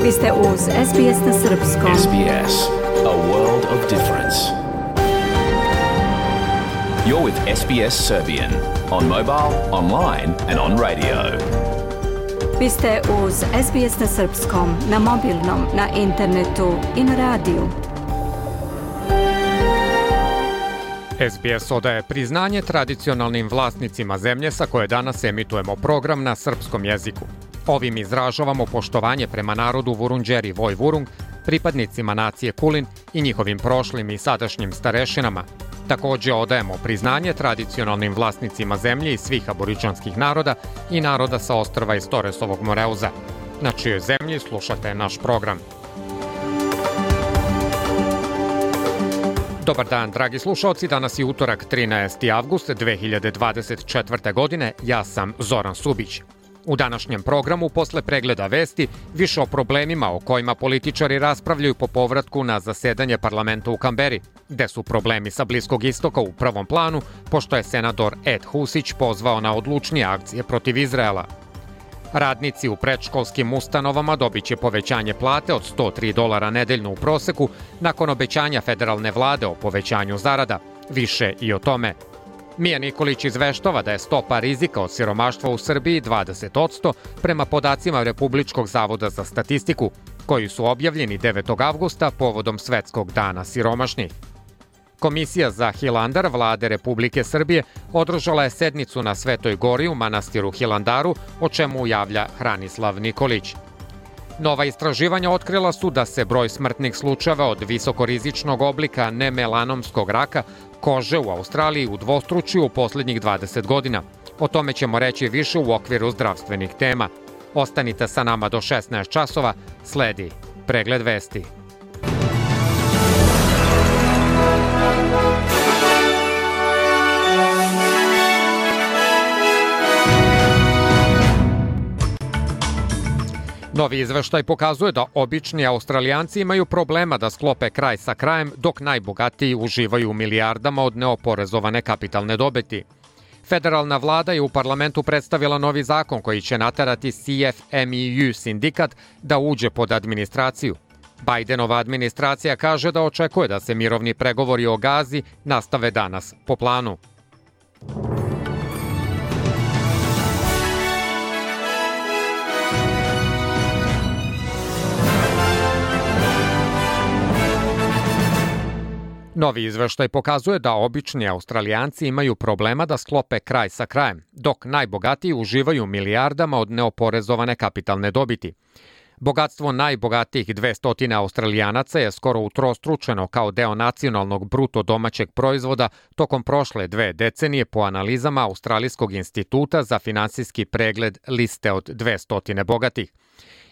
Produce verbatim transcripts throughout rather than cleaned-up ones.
Vi ste uz S B S na srpskom. S B S, a world of difference. You're with S B S Serbian on mobile, online and on radio. Vi ste uz S B S na srpskom, na mobilnom, na internetu i na radiju. S B S odaje priznanje tradicionalnim vlasnicima zemlje sa koje danas emitujemo program na srpskom jeziku. Ovim izražavamo poštovanje prema narodu Vurundjeri Voj Vurung, pripadnicima nacije Kulin i njihovim prošlim i sadašnjim starešinama. Također odajemo priznanje tradicionalnim vlasnicima zemlje i svih aboriđanskih naroda i naroda sa ostrva iz Toresovog Moreuza. Na čijoj zemlji slušate naš program. Dobar dan, dragi slušalci, danas je utorak trinaesti avgust dve hiljade dvadeset četvrte. godine, ja sam Zoran Subić. U današnjem programu, posle pregleda vesti, više o problemima o kojima političari raspravljaju po povratku na zasedanje parlamenta u Kamberi, gde su problemi sa Bliskog istoka u prvom planu, pošto je senator Ed Husić pozvao na odlučnije akcije protiv Izraela. Radnici u predškolskim ustanovama dobit će povećanje plate od sto tri dolara nedeljno u proseku nakon obećanja federalne vlade o povećanju zarada. Više i o tome. Mija Nikolić izveštava da je stopa rizika od siromaštva u Srbiji dvadeset posto prema podacima Republičkog zavoda za statistiku, koji su objavljeni devetog avgusta povodom Svetskog dana siromašnih. Komisija za Hilandar vlade Republike Srbije održala je sednicu na Svetoj gori u manastiru Hilandaru, o čemu javlja Hranislav Nikolić. Nova istraživanja otkrila su da se broj smrtnih slučajeva od visokorizičnog oblika nemelanomskog raka kože u Australiji udvostručio u posljednjih dvadeset godina. O tome ćemo reći više u okviru zdravstvenih tema. Ostanite sa nama do šesnaest časova, sledi pregled vesti. Novi izveštaj pokazuje da obični Australijanci imaju problema da sklope kraj sa krajem, dok najbogatiji uživaju u milijardama od neoporezovane kapitalne dobiti. Federalna vlada je u parlamentu predstavila novi zakon koji će naterati C F M E U sindikat da uđe pod administraciju. Bidenova administracija kaže da očekuje da se mirovni pregovori o Gazi nastave danas po planu. Novi izveštaj pokazuje da obični Australijanci imaju problema da sklope kraj sa krajem, dok najbogatiji uživaju milijardama od neoporezovane kapitalne dobiti. Bogatstvo najbogatijih dvesta Australijanaca je skoro utrostručeno kao deo nacionalnog bruto domaćeg proizvoda tokom prošle dve decenije po analizama Australijskog instituta za finansijski pregled liste od dvesta bogatih.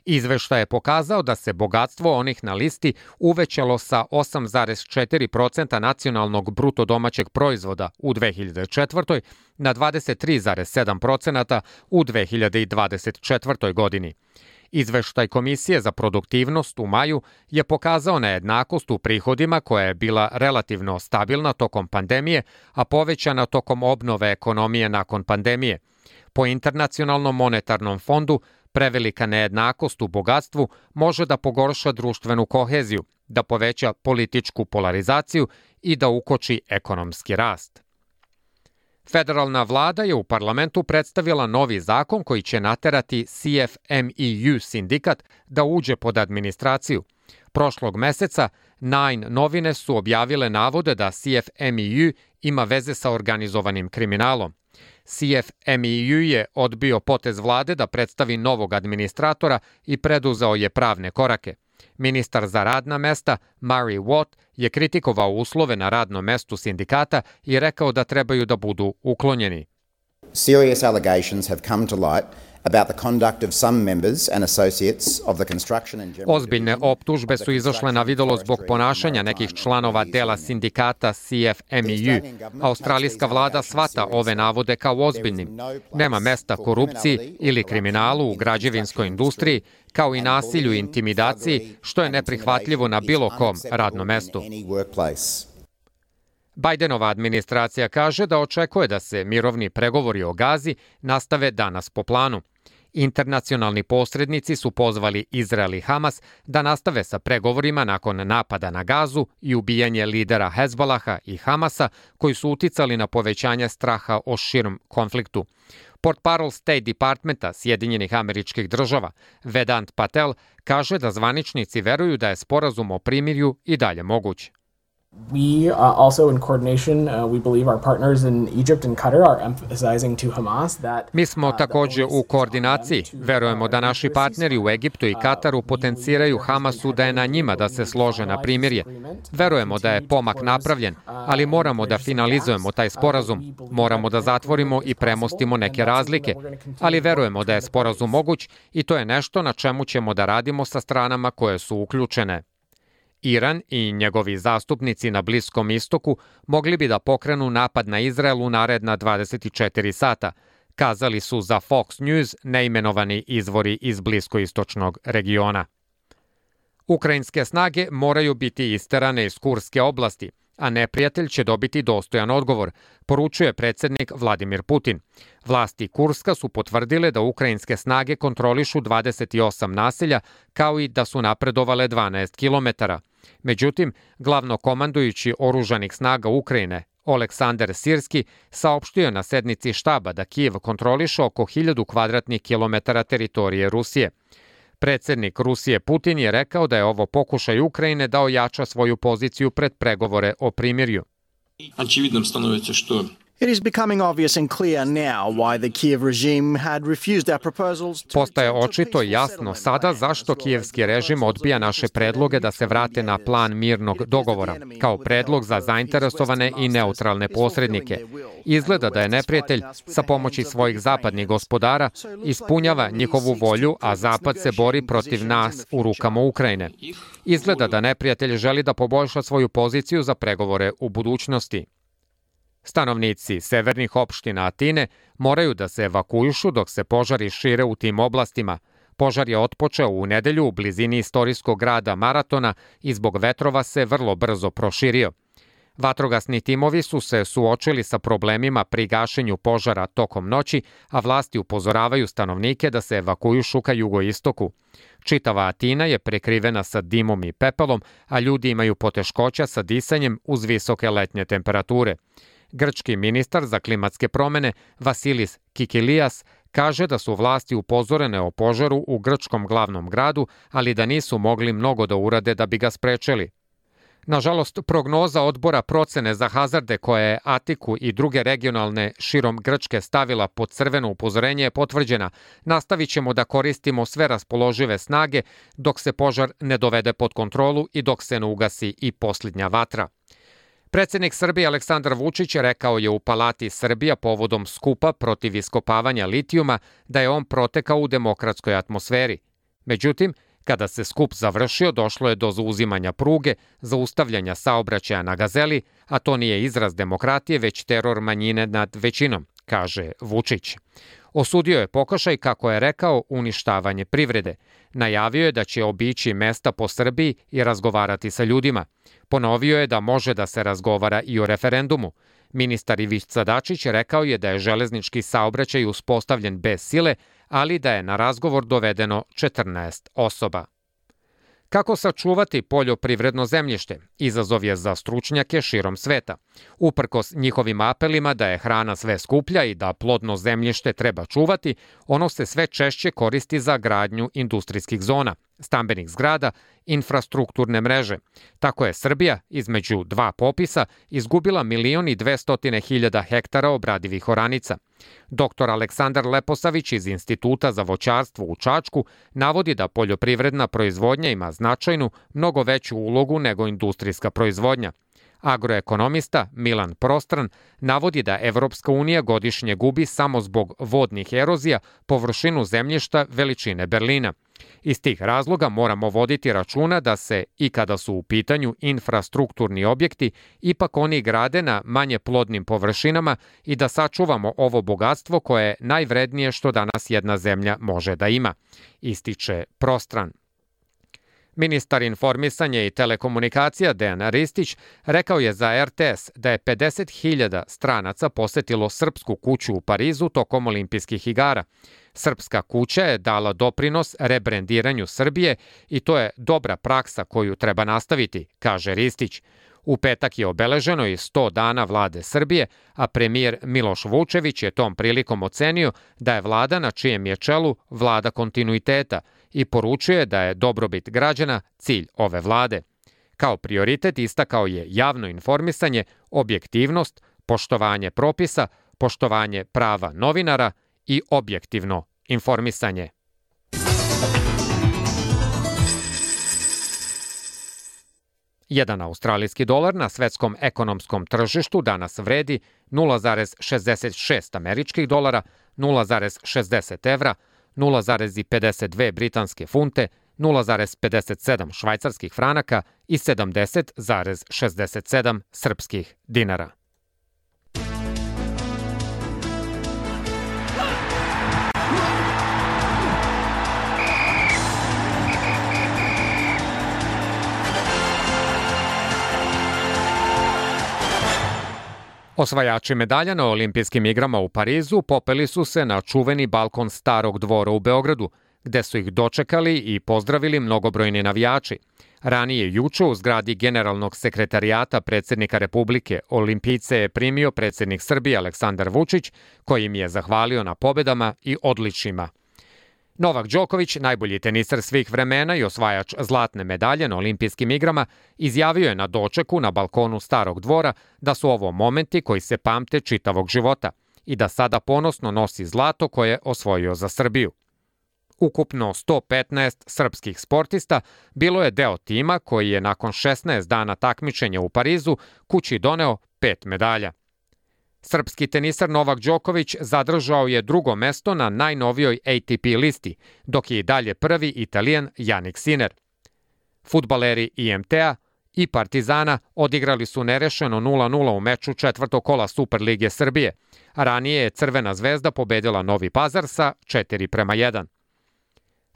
Izveštaj je pokazao da se bogatstvo onih na listi uvećalo sa osam zarez četiri posto nacionalnog bruto domaćeg proizvoda u dve hiljade četvrtoj. na dvadeset tri zarez sedam posto u dve hiljade dvadeset četvrtoj. godini. Izveštaj Komisije za produktivnost u maju je pokazao nejednakost u prihodima koja je bila relativno stabilna tokom pandemije, a povećana tokom obnove ekonomije nakon pandemije. Po Internacionalnom monetarnom fondu, prevelika nejednakost u bogatstvu može da pogorša društvenu koheziju, da poveća političku polarizaciju i da ukoči ekonomski rast. Federalna vlada je u parlamentu predstavila novi zakon koji će naterati C F M E U sindikat da uđe pod administraciju. Prošlog meseca Nine novine su objavile navode da C F M E U ima veze sa organizovanim kriminalom. C F M E U je odbio potez vlade da predstavi novog administratora i preduzeo je pravne korake. Ministar za radna mesta, Murray Watt, je kritikovao uslove na radnom mestu sindikata i rekao da trebaju da budu uklonjeni. Serious allegations have come to light about the conduct of some members and associates of the construction and general Ozbiljne optužbe su izašle na videlo zbog ponašanja nekih članova dela sindikata C F M E U. Australijska vlada shvata ove navode kao ozbiljnim. Nema mesta korupciji ili kriminalu u građevinskoj industriji, kao i nasilju i intimidaciji, što je neprihvatljivo na bilo kom radnom mestu. Bidenova administracija kaže da očekuje da se mirovni pregovori o Gazi nastave danas po planu. Internacionalni posrednici su pozvali Izrael i Hamas da nastave sa pregovorima nakon napada na Gazu i ubijanje lidera Hezbolaha i Hamasa, koji su uticali na povećanje straha o širem konfliktu. Portparol State Departmenta Sjedinjenih Američkih Država Vedant Patel kaže da zvaničnici veruju da je sporazum o primirju i dalje moguć. We uh, also in coordination, uh, we believe our partners in Egypt and Qatar are emphasizing to Hamas that Mi smo takođe u koordinaciji. Verujemo da naši partneri u Egiptu i Kataru potenciraju Hamasu da je na njima da se slože na primirje. Verujemo da je pomak napravljen, ali moramo da finalizujemo taj sporazum. Moramo da zatvorimo i premostimo neke razlike, ali verujemo da je sporazum moguć i to je nešto na čemu ćemo da radimo sa stranama koje su uključene. Iran i njegovi zastupnici na Bliskom istoku mogli bi da pokrenu napad na Izrael u naredna dvadeset četiri sata, kazali su za Fox News neimenovani izvori iz bliskoistočnog regiona. Ukrajinske snage moraju biti isterane iz Kurske oblasti, a neprijatelj će dobiti dostojan odgovor, poručuje predsednik Vladimir Putin. Vlasti Kurska su potvrdile da ukrajinske snage kontrolišu dvadeset osam naselja, kao i da su napredovale dvanaest kilometara. Međutim, glavnokomandujući oružanih snaga Ukrajine, Oleksandar Sirski, saopštio na sednici štaba da Kijev kontroliše oko hiljadu kvadratnih kilometara teritorije Rusije. Predsednik Rusije Putin je rekao da je ovo pokušaj Ukrajine da ojača svoju poziciju pred pregovore o primirju. Очевидным становится, что It is becoming obvious and clear now why the Kiev regime had refused our proposals to Postaje očito i jasno sada zašto kijevski režim odbija naše predloge da se vrate na plan mirnog dogovora, kao predlog za zainteresovane i neutralne posrednike. Izgleda da je neprijatelj sa pomoći svojih zapadnih gospodara ispunjava njihovu volju, a Zapad se bori protiv nas u rukama Ukrajine. Izgleda da neprijatelj želi da poboljša svoju poziciju za pregovore u budućnosti. Stanovnici severnih opština Atine moraju da se evakuišu dok se požari šire u tim oblastima. Požar je otpočeo u nedelju u blizini istorijskog grada Maratona i zbog vetrova se vrlo brzo proširio. Vatrogasni timovi su se suočili sa problemima pri gašenju požara tokom noći, a vlasti upozoravaju stanovnike da se evakuišu ka jugoistoku. Čitava Atina je prekrivena sa dimom i pepelom, a ljudi imaju poteškoća sa disanjem uz visoke letnje temperature. Grčki ministar za klimatske promene Vasilis Kikilias kaže da su vlasti upozorene o požaru u grčkom glavnom gradu, ali da nisu mogli mnogo da urade da bi ga sprečili. Nažalost, prognoza odbora procene za hazarde koja je Atiku i druge regionalne širom Grčke stavila pod crveno upozorenje je potvrđena. Nastavit ćemo da koristimo sve raspoložive snage dok se požar ne dovede pod kontrolu i dok se ne ugasi i posljednja vatra. Predsednik Srbije Aleksandar Vučić rekao je u Palati Srbija povodom skupa protiv iskopavanja litijuma da je on protekao u demokratskoj atmosferi. Međutim, kada se skup završio, došlo je do zauzimanja pruge, zaustavljanja saobraćaja na Gazeli, a to nije izraz demokratije, već teror manjine nad većinom, kaže Vučić. Osudio je pokušaj, kako je rekao, uništavanje privrede. Najavio je da će obići mesta po Srbiji i razgovarati sa ljudima. Ponovio je da može da se razgovara i o referendumu. Ministar Ivica Dačić rekao je da je železnički saobraćaj uspostavljen bez sile, ali da je na razgovor dovedeno četrnaest osoba. Kako sačuvati poljoprivredno zemljište? Izazov je za stručnjake širom sveta. Uprkos njihovim apelima da je hrana sve skuplja i da plodno zemljište treba čuvati, ono se sve češće koristi za gradnju industrijskih zona, stambenih zgrada, infrastrukturne mreže. Tako je Srbija, između dva popisa, izgubila milion i dvestotine hiljada hektara obradivih oranica. Doktor Aleksandar Leposavić iz Instituta za voćarstvo u Čačku navodi da poljoprivredna proizvodnja ima značajnu, mnogo veću ulogu nego industrijska proizvodnja. Agroekonomista Milan Prostran navodi da Evropska unija godišnje gubi samo zbog vodnih erozija površinu zemljišta veličine Berlina. Iz tih razloga moramo voditi računa da se, i kada su u pitanju infrastrukturni objekti, ipak oni grade na manje plodnim površinama i da sačuvamo ovo bogatstvo koje je najvrednije što danas jedna zemlja može da ima, ističe Prostran. Ministar informisanja i telekomunikacija Dejan Ristić rekao je za er te es da je pedeset hiljada stranaca posetilo Srpsku kuću u Parizu tokom olimpijskih igara. Srpska kuća je dala doprinos rebrendiranju Srbije i to je dobra praksa koju treba nastaviti, kaže Ristić. U petak je obeleženo i sto dana vlade Srbije, a premijer Miloš Vučević je tom prilikom ocenio da je vlada na čijem je čelu vlada kontinuiteta i poručuje da je dobrobit građana cilj ove vlade. Kao prioritet istakao je javno informisanje, objektivnost, poštovanje propisa, poštovanje prava novinara i objektivno informisanje. Jedan australijski dolar na svetskom ekonomskom tržištu danas vredi nula zarez šezdeset šest američkih dolara, nula zarez šezdeset evra, nula zarez pedeset dve britanske funte, nula zarez pedeset sedam švajcarskih franaka i sedamdeset zarez šezdeset sedam srpskih dinara. Osvajači medalja na olimpijskim igrama u Parizu popeli su se na čuveni balkon Starog dvora u Beogradu, gde su ih dočekali i pozdravili mnogobrojni navijači. Ranije juče u zgradi Generalnog sekretarijata predsjednika Republike olimpijce je primio predsjednik Srbije Aleksandar Vučić, koji im je zahvalio na pobedama i odličjima. Novak Đoković, najbolji teniser svih vremena i osvajač zlatne medalje na olimpijskim igrama, izjavio je na dočeku na balkonu Starog dvora da su ovo momenti koji se pamte čitavog života i da sada ponosno nosi zlato koje je osvojio za Srbiju. Ukupno sto petnaest srpskih sportista bilo je deo tima koji je nakon šesnaest dana takmičenja u Parizu kući doneo pet medalja. Srpski teniser Novak Đoković zadržao je drugo mesto na najnovijoj A T P listi, dok je i dalje prvi Italijan Jannik Sinner. Fudbaleri I M T-a i Partizana odigrali su nerešeno nula nula u meču četvrtog kola Superlige Srbije, a ranije je Crvena zvezda pobedila Novi Pazar sa četiri prema jedan.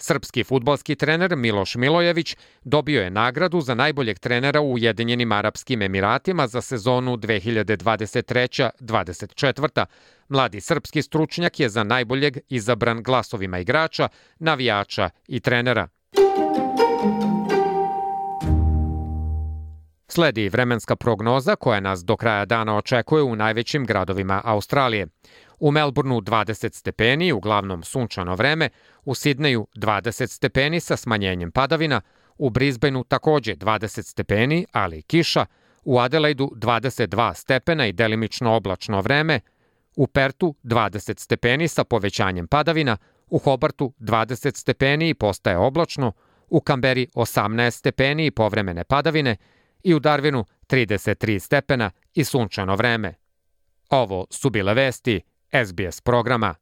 Srpski fudbalski trener Miloš Milojević dobio je nagradu za najboljeg trenera u Ujedinjenim Arapskim Emiratima za sezonu dve hiljade dvadeset treće dvadeset četvrte. Mladi srpski stručnjak je za najboljeg izabran glasovima igrača, navijača i trenera. Sledi vremenska prognoza koja nas do kraja dana očekuje u najvećim gradovima Australije. U Melbourneu dvadeset stepeni, uglavnom sunčano vreme, u Sidneju dvadeset stepeni sa smanjenjem padavina, u Brisbaneu takođe dvadeset stepeni, ali i kiša, u Adelaidu dvadeset dva stepena i delimično oblačno vreme, u Pertu dvadeset stepeni sa povećanjem padavina, u Hobartu dvadeset stepeni i postaje oblačno, u Kamberi osamnaest stepeni i povremene padavine i u Darwinu trideset tri stepena i sunčano vreme. Ovo su bile vesti S B S programa.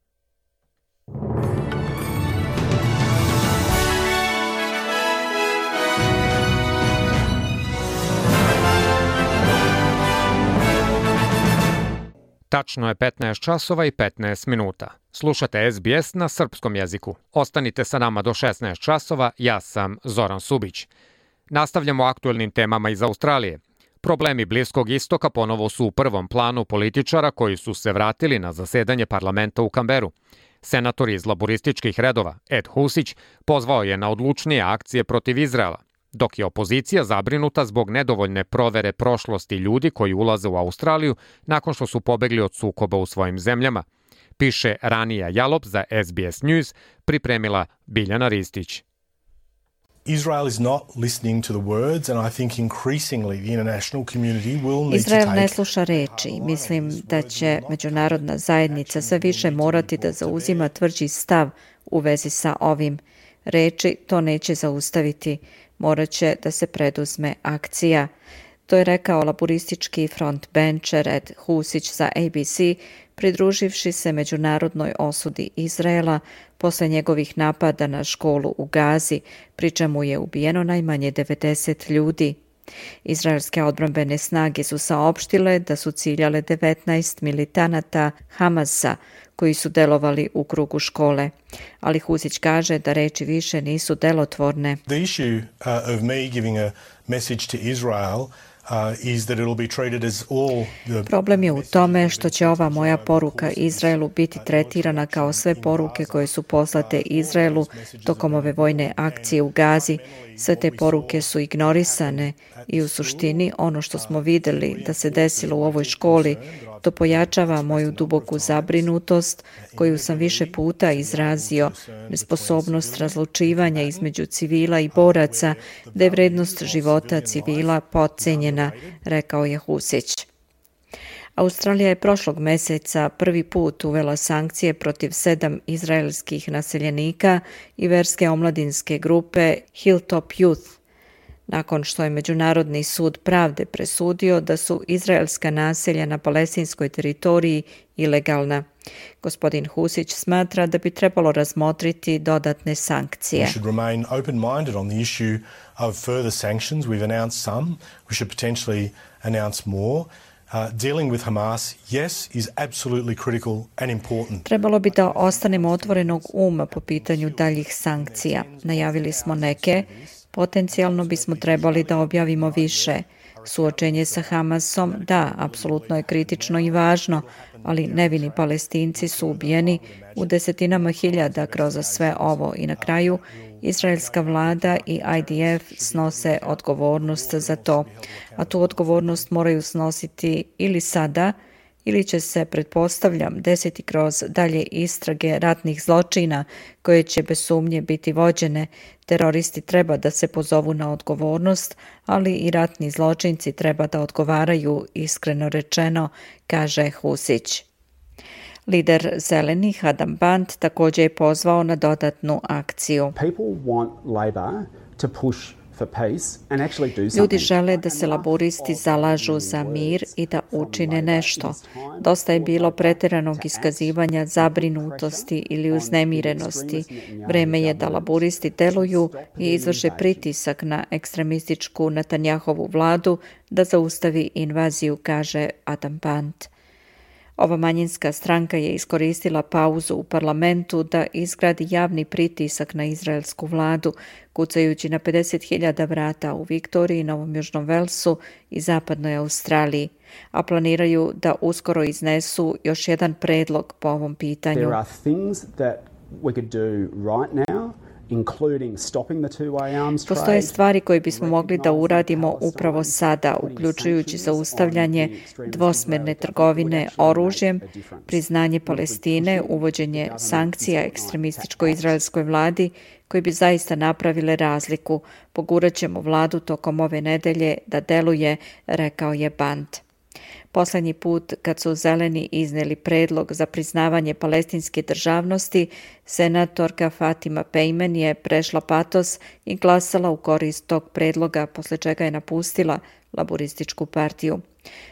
Tačno je petnaest časova i petnaest minuta. Slušate S B S na srpskom jeziku. Ostanite sa nama do šesnaest časova, ja sam Zoran Subić. Nastavljamo aktuelnim temama iz Australije. Problemi Bliskog istoka ponovo su u prvom planu političara koji su se vratili na zasedanje parlamenta u Kamberu. Senator iz laborističkih redova Ed Husić pozvao je na odlučnije akcije protiv Izraela, dok je opozicija zabrinuta zbog nedovoljne provere prošlosti ljudi koji ulaze u Australiju nakon što su pobegli od sukoba u svojim zemljama. Piše Ranija Jalop za S B S News, pripremila Biljana Ristić. Israel is not listening to the words and I think increasingly the international community will need to Izrael take... ne sluša reči. Mislim da će međunarodna zajednica sve više morati da zauzima tvrđi stav u vezi sa ovim. Reči to neće zaustaviti. Morat će da se preduzme akcija. To je rekao laboristički frontbencher Ed Husić za A B C, pridruživši se međunarodnoj osudi Izraela posle njegovih napada na školu u Gazi, pri čemu je ubijeno najmanje devedeset ljudi. Izraelske odbrambene snage su saopštile da su ciljale devetnaest militanata Hamasa koji su delovali u krugu škole. Ali Husić kaže da reči više nisu delotvorne. The issue uh, of me giving a message to Israel Problem je u tome što će ova moja poruka Izraelu biti tretirana kao sve poruke koje su poslate Izraelu tokom ove vojne akcije u Gazi. Sve te poruke su ignorisane i u suštini ono što smo videli da se desilo u ovoj školi, to pojačava moju duboku zabrinutost koju sam više puta izrazio, nesposobnost razlučivanja između civila i boraca, da je vrednost života civila potcenjena, rekao je Husić. Australija je prošlog meseca prvi put uvela sankcije protiv sedam izraelskih naseljenika i verske omladinske grupe Hilltop Youth, nakon što je Međunarodni sud pravde presudio da su izraelska naselja na palestinskoj teritoriji ilegalna. Gospodin Husić smatra da bi trebalo razmotriti dodatne sankcije. We should remain open-minded on the issue of further sanctions. We've announced some. We should potentially announce more. Uh, dealing with Hamas, yes, is absolutely critical and important. Trebalo bi da ostanemo otvorenog uma po pitanju daljih sankcija. Najavili smo neke. Potencijalno bismo trebali da objavimo više. Suočenje sa Hamasom, da, apsolutno je kritično i važno, ali nevini Palestinci su ubijeni u desetinama hiljada kroz sve ovo i na kraju izraelska vlada i I D F snose odgovornost za to, a tu odgovornost moraju snositi ili sada, ili će se, pretpostavljam, desiti kroz dalje istrage ratnih zločina koje će bez sumnje biti vođene. Teroristi treba da se pozovu na odgovornost, ali i ratni zločinci treba da odgovaraju, iskreno rečeno, kaže Husić. Lider Zelenih Adam Band također je pozvao na dodatnu akciju. Ljudi žele da se laboristi zalažu za mir i da učine nešto. Dosta je bilo pretjeranog iskazivanja zabrinutosti ili uznemirenosti. Vreme je da laboristi deluju i izvrše pritisak na ekstremističku Netanjahovu vladu da zaustavi invaziju, kaže Adam Band. Ova manjinska stranka je iskoristila pauzu u parlamentu da izgradi javni pritisak na izraelsku vladu, kucajući na pedeset hiljada vrata u Viktoriji, Novom Južnom Velsu i Zapadnoj Australiji, a planiraju da uskoro iznesu još jedan predlog po ovom pitanju. Postoje stvari koje bismo mogli da uradimo upravo sada, uključujući zaustavljanje dvosmerne trgovine oružjem, priznanje Palestine, uvođenje sankcija ekstremističkoj izraelskoj vladi koji bi zaista napravile razliku. Pogurat ćemo vladu tokom ove nedelje da deluje, rekao je Band. Poslednji put kad su Zeleni izneli predlog za priznavanje palestinske državnosti, senatorka Fatima Pejmen je prešla patos i glasala u korist tog predloga, posle čega je napustila Laborističku partiju.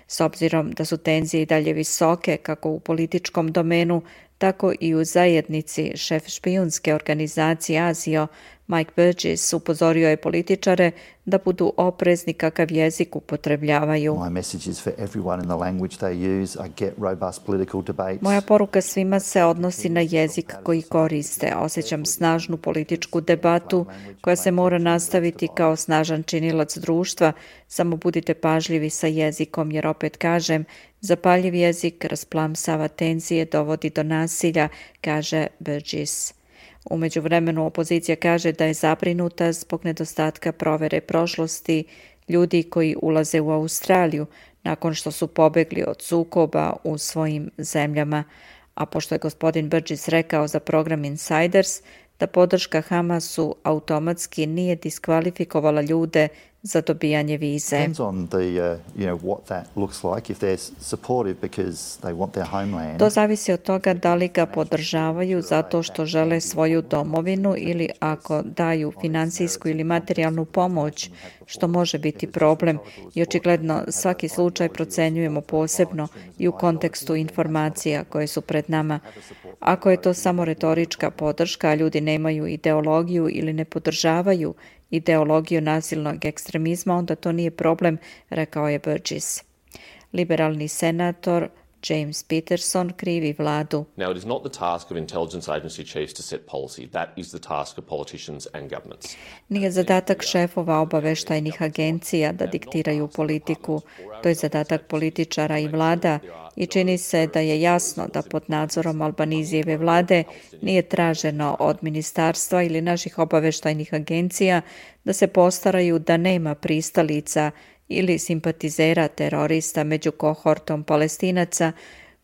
S obzirom da su tenzije i dalje visoke, kako u političkom domenu, tako i u zajednici, šef špijunske organizacije Azio, Mike Burgess, upozorio je političare da budu oprezni kakav jezik upotrebljavaju. Moja poruka svima se odnosi na jezik koji koriste. Osjećam snažnu političku debatu koja se mora nastaviti kao snažan činilac društva. Samo budite pažljivi sa jezikom, jer opet kažem, zapaljiv jezik rasplamsava tenzije, dovodi do nasilja, kaže Burgess. U međuvremenu opozicija kaže da je zabrinuta zbog nedostatka provere prošlosti ljudi koji ulaze u Australiju nakon što su pobegli od sukoba u svojim zemljama. A pošto je gospodin Burgess rekao za program Insiders da podrška Hamasu automatski nije diskvalifikovala ljude za dobijanje vize. To zavisi od toga da li ga podržavaju zato što žele svoju domovinu ili ako daju finansijsku ili materijalnu pomoć, što može biti problem i očigledno svaki slučaj procenjujemo posebno i u kontekstu informacija koje su pred nama. Ako je to samo retorička podrška, a ljudi nemaju ideologiju ili ne podržavaju ideologiju nasilnog ekstremizma, onda to nije problem, rekao je Burgess. Liberalni senator James Peterson krivi vladu. Now, it is not the task of intelligence agency chiefs to set policy. That is the task of politicians and governments. Nije zadatak šefova obaveštajnih agencija da diktiraju politiku. To je zadatak političara i vlada i čini se da je jasno da pod nadzorom Albanizijeve vlade nije traženo od ministarstva ili naših obaveštajnih agencija da se postaraju da nema pristalica ili simpatizera terorista među kohortom Palestinaca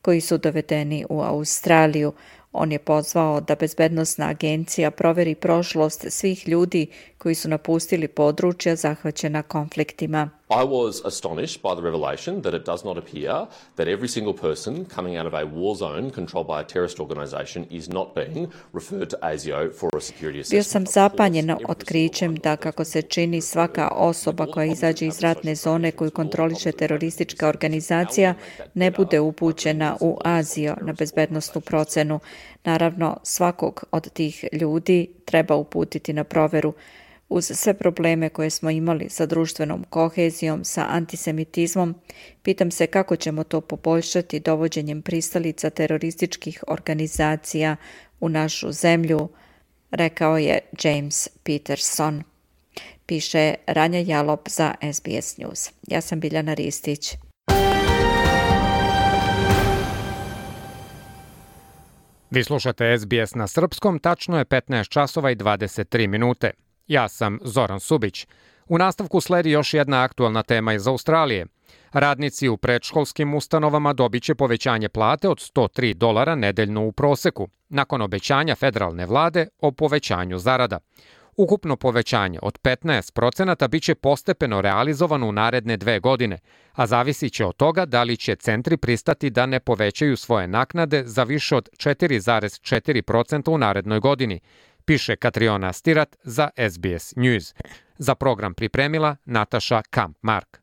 koji su dovedeni u Australiju. On je pozvao da bezbednosna agencija proveri prošlost svih ljudi koji su napustili područja zahvaćena konfliktima. I was astonished by the revelation that it does not appear that every single person coming out of a war zone controlled by a terrorist organization is not being referred to A S I O for a security assessment. Bio sam zapanjen otkrićem da, kako se čini, svaka osoba koja izađe iz ratne zone koju kontroliše teroristička organizacija ne bude upućena u A S I O na bezbednosnu procenu. Naravno, svakog od tih ljudi treba uputiti na proveru. Uz sve probleme koje smo imali sa društvenom kohezijom, sa antisemitizmom, pitam se kako ćemo to poboljšati dovođenjem pristalica terorističkih organizacija u našu zemlju, rekao je James Peterson. Piše Ranja Jalop za S B S News. Ja sam Biljana Ristić. Vi slušate S B S na srpskom, tačno je petnaest časova i dvadeset tri minute. Ja sam Zoran Subić. U nastavku sledi još jedna aktualna tema iz Australije. Radnici u predškolskim ustanovama dobit će povećanje plate od sto tri dolara nedeljno u proseku, nakon obećanja federalne vlade o povećanju zarada. Ukupno povećanje od petnaest procenata bit će postepeno realizovano u naredne dve godine, a zavisit će od toga da li će centri pristati da ne povećaju svoje naknade za više od četiri zarez četiri procenta u narednoj godini, piše Katriona Stirat za S B S News. Za program pripremila Nataša Kamp-Mark.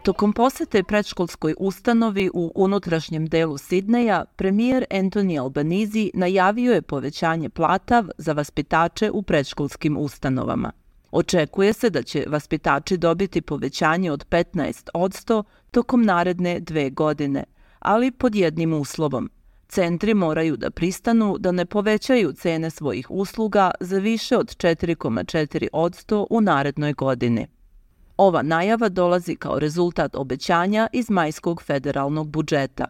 Tokom posete predškolskoj ustanovi u unutrašnjem delu Sidneja, premijer Anthony Albanese najavio je povećanje plata za vaspitače u predškolskim ustanovama. Očekuje se da će vaspitači dobiti povećanje od petnaest posto tokom naredne dve godine, ali pod jednim uslovom. Centri moraju da pristanu da ne povećaju cene svojih usluga za više od četiri zarez četiri posto u narednoj godini. Ova najava dolazi kao rezultat obećanja iz majskog federalnog budžeta.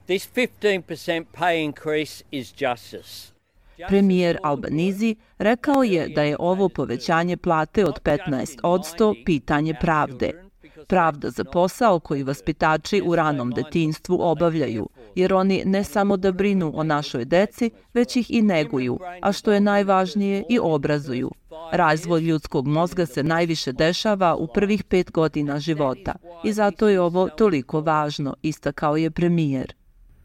This fifteen percent pay increase is justice. Premijer Albanese rekao je da je ovo povećanje plate od petnaest posto pitanje pravde. Pravda za posao koji vaspitači u ranom detinjstvu obavljaju, jer oni ne samo da brinu o našoj deci, već ih i neguju, a što je najvažnije i obrazuju. Razvoj ljudskog mozga se najviše dešava u prvih pet godina života i zato je ovo toliko važno, istakao je premijer.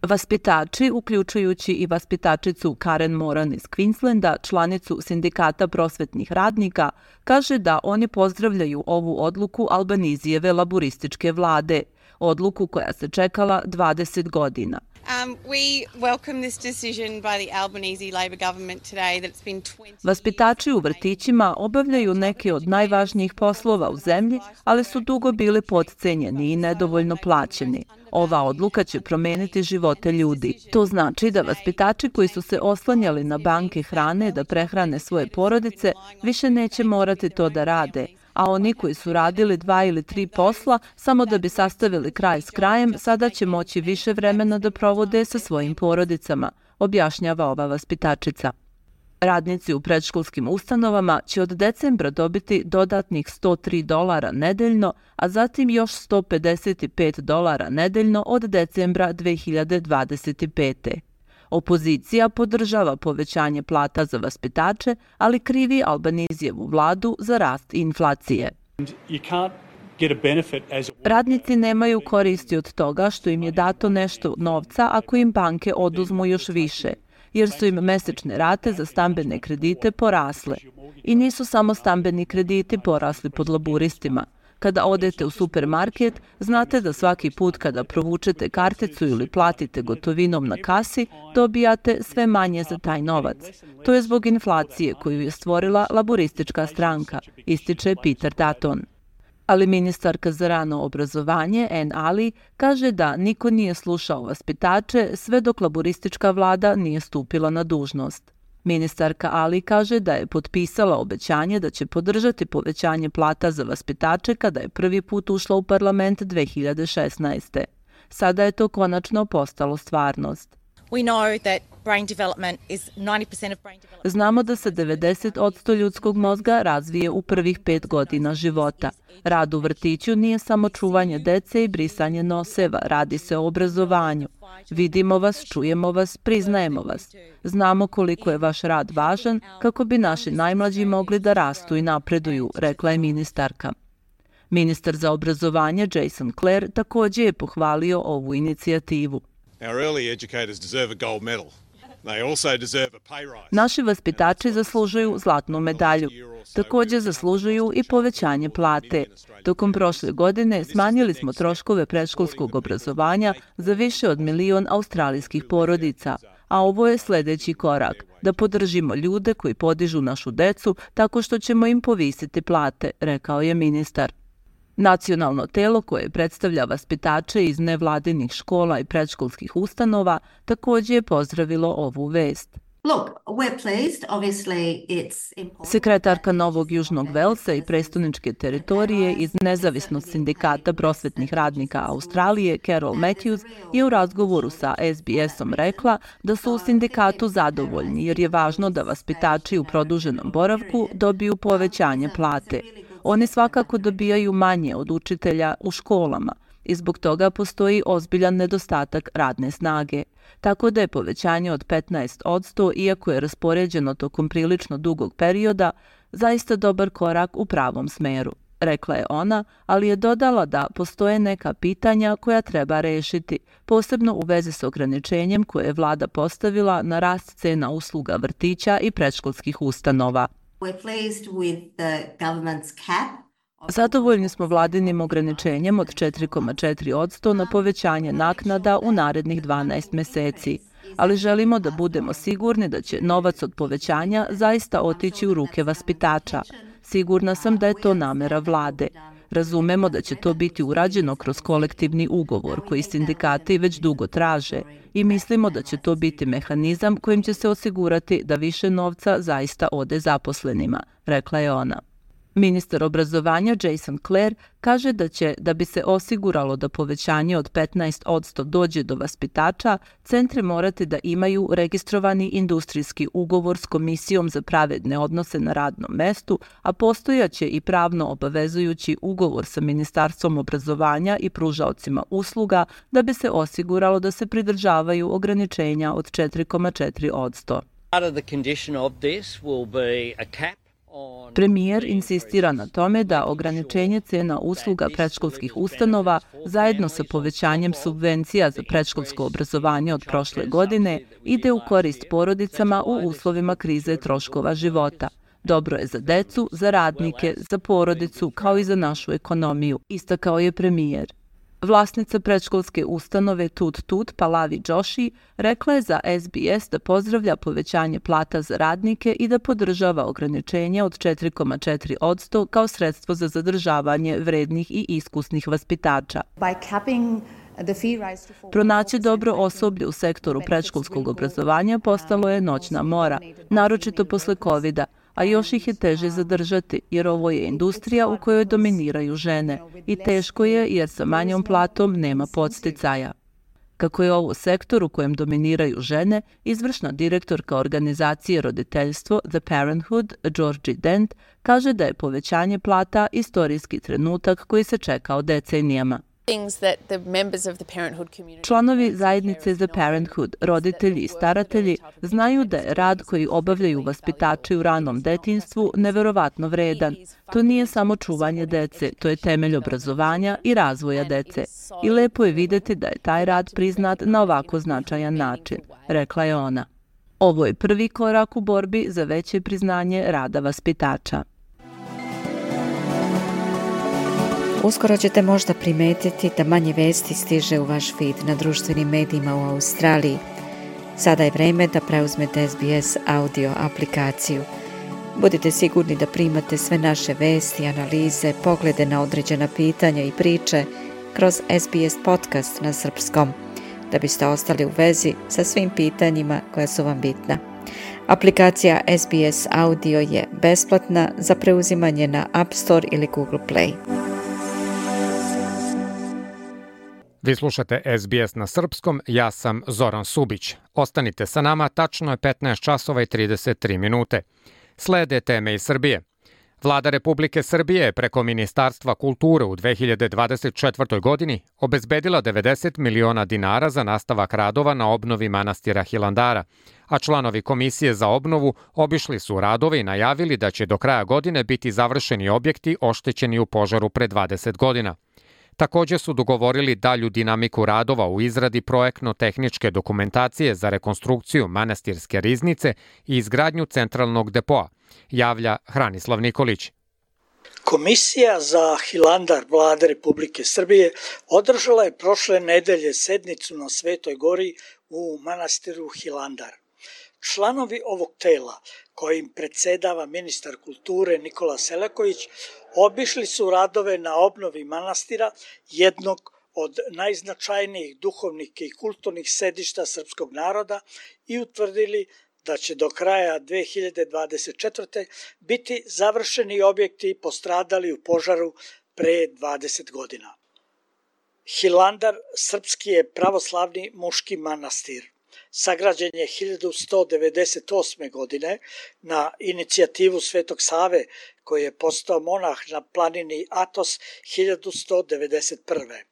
Vaspitači, uključujući i vaspitačicu Karen Moran iz Queenslanda, članicu sindikata prosvetnih radnika, kaže da oni pozdravljaju ovu odluku Albanisijeve laborističke vlade, odluku koja se čekala dvadeset godina. Um, we welcome this decision by the Albanese Labor government today that it's been twenty Vaspitači u vrtićima obavljaju neke od najvažnijih poslova u zemlji, ali su dugo bili potcenjeni i nedovoljno plaćeni. Ova odluka će promeniti živote ljudi. To znači da vaspitači koji su se oslanjali na banke hrane da prehrane svoje porodice više neće morati to da rade, a oni koji su radili dva ili tri posla samo da bi sastavili kraj s krajem, sada će moći više vremena da provode sa svojim porodicama, objašnjava ova vaspitačica. Radnici u predškolskim ustanovama će od decembra dobiti dodatnih sto tri dolara nedeljno, a zatim još sto pedeset pet dolara nedeljno od decembra dve hiljade dvadeset pete. Opozicija podržava povećanje plata za vaspitače, ali krivi Albanizijevu vladu za rast inflacije. Radnici nemaju koristi od toga što im je dato nešto novca ako im banke oduzmu još više, jer su im mesečne rate za stambene kredite porasle. I nisu samo stambeni krediti porasli pod laburistima. Kada odete u supermarket, znate da svaki put kada provučete karticu ili platite gotovinom na kasi, dobijate sve manje za taj novac. To je zbog inflacije koju je stvorila laboristička stranka, ističe Peter Dutton. Ali ministarka za rano obrazovanje, Ann Ali, kaže da niko nije slušao vaspitače sve dok laboristička vlada nije stupila na dužnost. Ministarka Ali kaže da je potpisala obećanje da će podržati povećanje plata za vaspitače kada je prvi put ušla u parlament dve hiljade šesnaeste. Sada je to konačno postalo stvarnost. Znamo da se devedeset posto ljudskog mozga razvije u prvih pet godina života. Rad u vrtiću nije samo čuvanje dece i brisanje noseva, radi se o obrazovanju. Vidimo vas, čujemo vas, priznajemo vas. Znamo koliko je vaš rad važan kako bi naši najmlađi mogli da rastu i napreduju, rekla je ministarka. Ministar za obrazovanje Jason Clare također je pohvalio ovu inicijativu. Naši vaspitači zaslužuju zlatnu medalju. Također zaslužuju i povećanje plate. Tokom prošle godine smanjili smo troškove predškolskog obrazovanja za više od milion australijskih porodica, a ovo je sljedeći korak, da podržimo ljude koji podižu našu decu tako što ćemo im povisiti plate, rekao je ministar. Nacionalno telo koje predstavlja vaspitače iz nevladinih škola i predškolskih ustanova također je pozdravilo ovu vest. Sekretarka Novog Južnog Velsa i prestoničke teritorije iz Nezavisnog sindikata prosvetnih radnika Australije, Carol Matthews, je u razgovoru sa S B S-om rekla da su u sindikatu zadovoljni jer je važno da vaspitači u produženom boravku dobiju povećanje plate. Oni svakako dobijaju manje od učitelja u školama i zbog toga postoji ozbiljan nedostatak radne snage. Tako da je povećanje od petnaest posto, iako je raspoređeno tokom prilično dugog perioda, zaista dobar korak u pravom smeru, rekla je ona, ali je dodala da postoje neka pitanja koja treba rešiti, posebno u vezi s ograničenjem koje je vlada postavila na rast cena usluga vrtića i predškolskih ustanova. Zadovoljni smo vladinim ograničenjem od četiri zarez četiri posto na povećanje naknada u narednih dvanaest meseci, ali želimo da budemo sigurni da će novac od povećanja zaista otići u ruke vaspitača. Sigurna sam da je to namera vlade. Razumemo da će to biti urađeno kroz kolektivni ugovor koji sindikati već dugo traže i mislimo da će to biti mehanizam kojim će se osigurati da više novca zaista ode zaposlenima, rekla je ona. Ministar obrazovanja Jason Clare kaže da će, da bi se osiguralo da povećanje od petnaest posto dođe do vaspitača, centri morati da imaju registrovani industrijski ugovor s Komisijom za pravedne odnose na radnom mestu, a postojaće i pravno obavezujući ugovor sa Ministarstvom obrazovanja i pružaocima usluga da bi se osiguralo da se pridržavaju ograničenja od četiri zarez četiri posto. Premijer insistira na tome da ograničenje cena usluga predškolskih ustanova zajedno sa povećanjem subvencija za predškolsko obrazovanje od prošle godine ide u korist porodicama u uslovima krize troškova života. Dobro je za decu, za radnike, za porodicu, kao i za našu ekonomiju, istakao je premijer. Vlasnica predškolske ustanove Tut Tut, Palavi Joshi, rekla je za S B S da pozdravlja povećanje plata za radnike i da podržava ograničenje od četiri zarez četiri posto kao sredstvo za zadržavanje vrednih i iskusnih vaspitača. Pronaći dobro osoblje u sektoru predškolskog obrazovanja postalo je noćna mora, naročito posle kovida, a još ih je teže zadržati jer ovo je industrija u kojoj dominiraju žene i teško je jer sa manjom platom nema podsticaja. Kako je ovo sektor u kojem dominiraju žene, izvršna direktorka organizacije roditeljstvo The Parenthood, Georgie Dent, kaže da je povećanje plata istorijski trenutak koji se čekao decenijama. Članovi zajednice The Parenthood, roditelji i staratelji, znaju da je rad koji obavljaju vaspitači u ranom detinjstvu neverovatno vredan. To nije samo čuvanje dece, to je temelj obrazovanja i razvoja dece. I lepo je videti da je taj rad priznat na ovako značajan način, rekla je ona. Ovo je prvi korak u borbi za veće priznanje rada vaspitača. Uskoro ćete možda primetiti da manje vesti stiže u vaš feed na društvenim medijima u Australiji. Sada je vreme da preuzmete S B S audio aplikaciju. Budite sigurni da primate sve naše vesti, analize, poglede na određena pitanja i priče kroz S B S podcast na srpskom, da biste ostali u vezi sa svim pitanjima koja su vam bitna. Aplikacija S B S Audio je besplatna za preuzimanje na App Store ili Google Play. Vi slušate S B S na srpskom, ja sam Zoran Subić. Ostanite sa nama, tačno je petnaest časova i trideset tri minute. Slede teme iz Srbije. Vlada Republike Srbije preko Ministarstva kulture u dve hiljade dvadeset četvrtoj. godini obezbedila devedeset miliona dinara za nastavak radova na obnovi manastira Hilandara, a članovi Komisije za obnovu obišli su radove i najavili da će do kraja godine biti završeni objekti oštećeni u požaru pre dvadeset godina. Također su dogovorili dalju dinamiku radova u izradi projektno-tehničke dokumentacije za rekonstrukciju manastirske riznice i izgradnju centralnog depoa, javlja Hranislav Nikolić. Komisija za Hilandar Vlade Republike Srbije održala je prošle nedelje sednicu na Svetoj gori u manastiru Hilandar. Članovi ovog tela, kojim predsedava ministar kulture Nikola Selaković, obišli su radove na obnovi manastira, jednog od najznačajnijih duhovnih i kulturnih sedišta srpskog naroda, i utvrdili da će do kraja dve hiljade dvadeset četvrte. biti završeni objekti postradali u požaru pre dvadeset godina. Hilandar srpski je pravoslavni muški manastir. Sagrađen je hiljadu sto devedeset osme. godine na inicijativu Svetog Save, koji je postao monah na planini Atos hiljadu sto devedeset prve.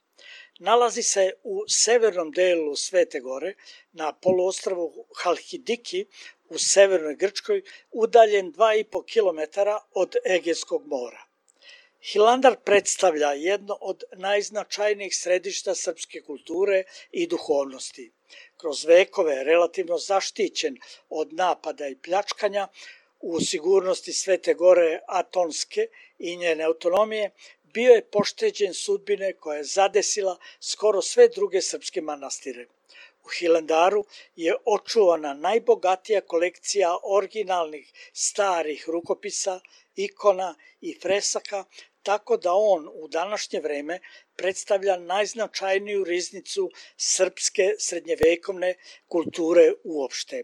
Nalazi se u severnom delu Svete gore, na poluostrvu Halkidiki u severnoj Grčkoj, udaljen dva i po kilometara od Egejskog mora. Hilandar predstavlja jedno od najznačajnijih središta srpske kulture i duhovnosti. Kroz vekove relativno zaštićen od napada i pljačkanja, u sigurnosti Svete gore Atonske i njene autonomije, bio je pošteđen sudbine koja je zadesila skoro sve druge srpske manastire. U Hilandaru je očuvana najbogatija kolekcija originalnih starih rukopisa, ikona i fresaka, tako da on u današnje vreme predstavlja najznačajniju riznicu srpske srednjevekovne kulture uopšte.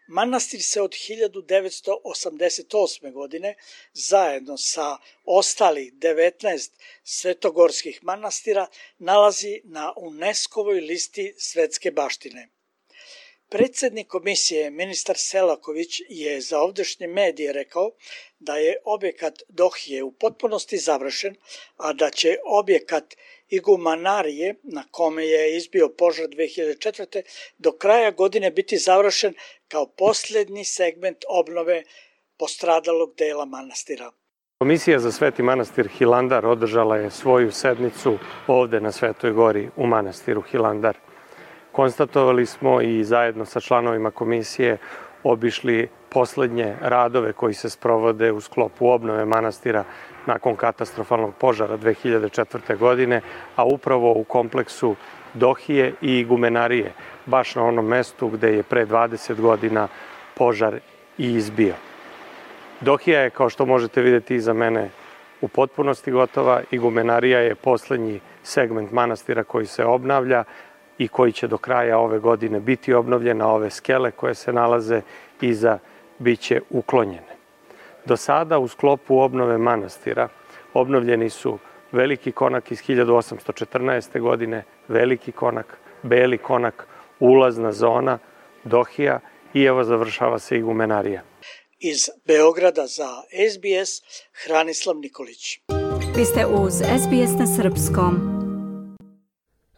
Manastir se od hiljadu devetsto osamdeset osme. godine zajedno sa ostalih devetnaest svetogorskih manastira nalazi na UNESCO-voj listi svetske baštine. Predsednik komisije, ministar Selaković, je za ovdašnje medije rekao da je objekat Dohije u potpunosti završen, a da će objekat Igumanarije, na kome je izbio požar dve hiljade četvrte. do kraja godine biti završen kao posljednji segment obnove postradalog dela manastira. Komisija za Sveti manastir Hilandar održala je svoju sednicu ovde na Svetoj gori u manastiru Hilandar. Konstatovali smo i zajedno sa članovima komisije obišli poslednje radove koji se sprovode u sklopu obnove manastira nakon katastrofalnog požara dve hiljade četvrte. godine, a upravo u kompleksu Dohije i Igumenarije, baš na onom mestu gde je pre dvadeset godina požar i izbio. Dohija je, kao što možete vidjeti iza mene, u potpunosti gotova. Igumenarija je poslednji segment manastira koji se obnavlja i koji će do kraja ove godine biti obnovljena. Ove skele koje se nalaze iza biće uklonjene. Do sada u sklopu obnove manastira obnovljeni su Veliki konak iz hiljadu osamsto četrnaeste. godine, Veliki konak, Beli konak, ulazna zona, Dohija i evo završava se Igumenarija. Iz Beograda za S B S, Hranislav Nikolić. Vi ste uz S B S na srpskom.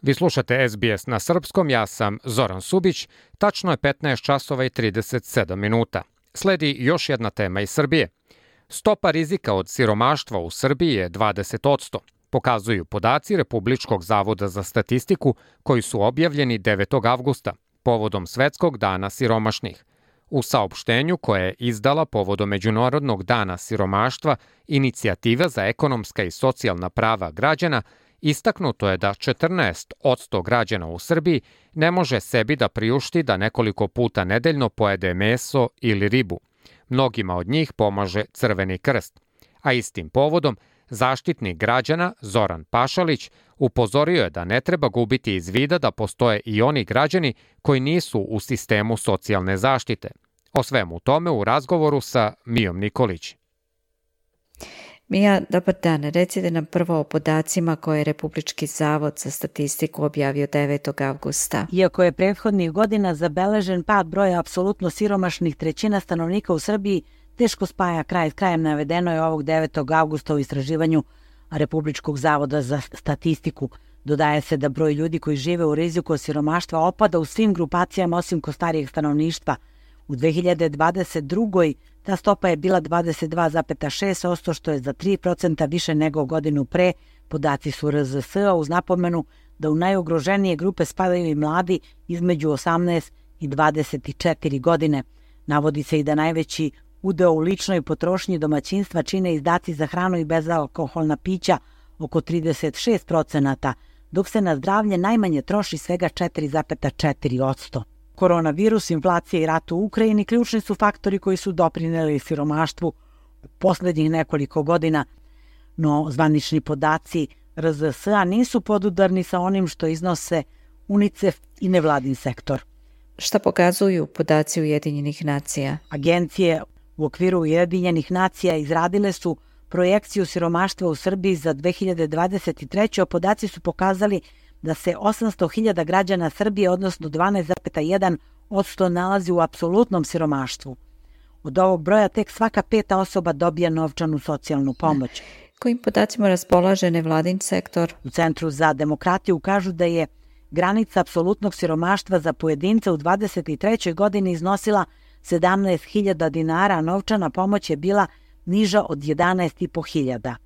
Vi slušate S B S na srpskom, ja sam Zoran Subić, tačno je petnaest časova i trideset sedam minuta. Sledi još jedna tema iz Srbije. Stopa rizika od siromaštva u Srbiji je dvadeset posto, pokazuju podaci Republičkog zavoda za statistiku koji su objavljeni devetog avgusta, povodom Svetskog dana siromašnih. U saopštenju koje je izdala povodom Međunarodnog dana siromaštva, Inicijativa za ekonomska i socijalna prava građana, istaknuto je da četrnaest posto građana u Srbiji ne može sebi da priušti da nekoliko puta nedeljno pojede meso ili ribu. Mnogima od njih pomaže Crveni krst. A istim povodom, Zaštitnik građana Zoran Pašalić upozorio je da ne treba gubiti iz vida da postoje i oni građani koji nisu u sistemu socijalne zaštite. O svemu tome u razgovoru sa Mijom Nikolić. Mija, dobar dan. Recite nam prvo o podacima koje je Republički zavod za statistiku objavio devetog avgusta. Iako je prethodnih godina zabeležen pad broja apsolutno siromašnih, trećina stanovnika u Srbiji teško spaja kraj s krajem, navedeno je ovog devetog avgusta u istraživanju Republičkog zavoda za statistiku. Dodaje se da broj ljudi koji žive u riziku od siromaštva opada u svim grupacijama osim kod starijeg stanovništva. U dve hiljade dvadeset drugoj ta stopa je bila dvadeset dva zarez šest posto, što je za tri procenta više nego godinu pre. Podaci su R Z S-a uz napomenu da u najugroženije grupe spadaju i mladi između osamnaest i dvadeset četiri godine. Navodi se i da najveći udeo u ličnoj potrošnji domaćinstva čine izdaci za hranu i bezalkoholna pića oko trideset šest procenata, dok se na zdravlje najmanje troši svega četiri zarez četiri posto. Koronavirus, inflacija i rat u Ukrajini ključni su faktori koji su doprineli siromaštvu u poslednjih nekoliko godina, no zvanični podaci R Z S-a nisu podudarni sa onim što iznose UNICEF i nevladin sektor. Šta pokazuju podaci Ujedinjenih nacija? Agencije u okviru Ujedinjenih nacija izradile su projekciju siromaštva u Srbiji za dve hiljade dvadeset treću. Podaci su pokazali da se osamsto hiljada građana Srbije, odnosno dvanaest zarez jedan posto, nalazi u apsolutnom siromaštvu. Od ovog broja tek svaka peta osoba dobija novčanu socijalnu pomoć. Kojim podacima raspolaže nevladin sektor? U Centru za demokratiju kažu da je granica apsolutnog siromaštva za pojedinca u dvadeset trećoj godini iznosila sedamnaest hiljada dinara, a novčana pomoć je bila niža od jedanaest i po hiljada.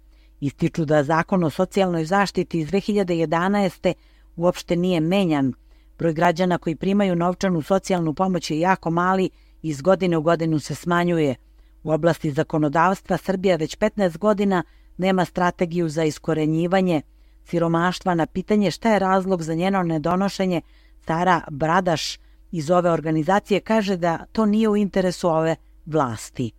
Ističu da Zakon o socijalnoj zaštiti iz dve hiljade jedanaeste. uopšte nije menjan. Broj građana koji primaju novčanu socijalnu pomoć je jako mali i iz godine u godinu se smanjuje. U oblasti zakonodavstva Srbija već petnaest godina nema strategiju za iskorenjivanje siromaštva. Na pitanje šta je razlog za njeno nedonošenje, Sara Bradaš iz ove organizacije kaže da to nije u interesu ove vlasti.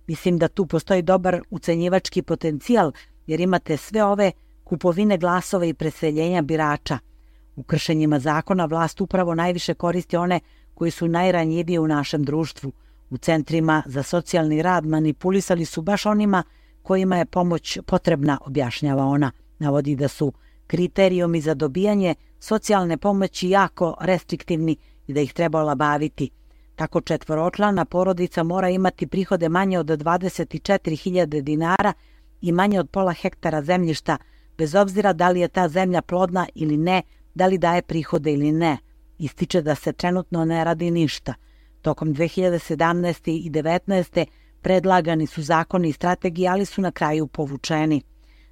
Mislim da tu postoji dobar ucenjivački potencijal, jer imate sve ove kupovine glasova i preseljenja birača. U kršenjima zakona vlast upravo najviše koristi one koji su najranjiviji u našem društvu. U centrima za socijalni rad manipulisali su baš onima kojima je pomoć potrebna, objašnjava ona. Navodi da su kriterijumi za dobijanje socijalne pomoći jako restriktivni i da ih treba olabaviti. Tako četvoročlana porodica mora imati prihode manje od dvadeset četiri hiljade dinara i manje od pola hektara zemljišta, bez obzira da li je ta zemlja plodna ili ne, da li daje prihode ili ne. Ističe da se trenutno ne radi ništa. Tokom dve hiljade sedamnaeste. i devetnaeste. predlagani su zakoni i strategije, ali su na kraju povučeni.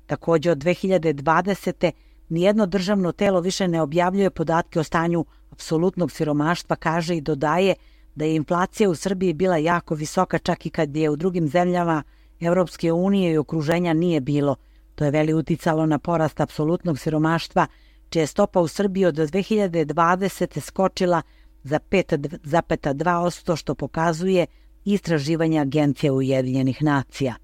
Takođe od dve hiljade dvadesete. nijedno državno telo više ne objavljuje podatke o stanju apsolutnog siromaštva, kaže i dodaje da je inflacija u Srbiji bila jako visoka, čak i kad je u drugim zemljama Evropske unije i okruženja nije bilo. To je veli uticalo na porast apsolutnog siromaštva, čija je stopa u Srbiji od dve hiljade dvadesete. skočila za pet zarez dva posto, što pokazuje istraživanje Agencije Ujedinjenih nacija.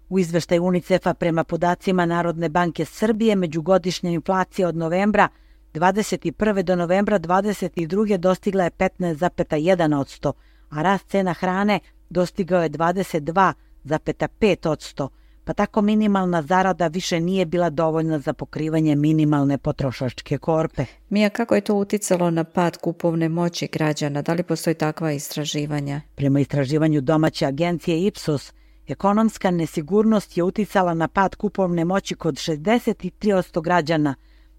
U izveštaju UNICEF-a prema podacima Narodne banke Srbije, međugodišnja inflacija od novembra dvadeset prve do novembra dvadeset druge. dostigla je petnaest zarez jedan posto, a rast cena hrane dostigao je dvadeset dva zarez pet posto, pa tako minimalna zarada više nije bila dovoljna za pokrivanje minimalne potrošačke korpe. Mija, kako je to uticalo na pad kupovne moći građana? Da li postoji takva istraživanja? Prema istraživanju domaće agencije Ipsos, ekonomska nesigurnost je uticala na pad kupovne moći kod šezdeset tri posto građana.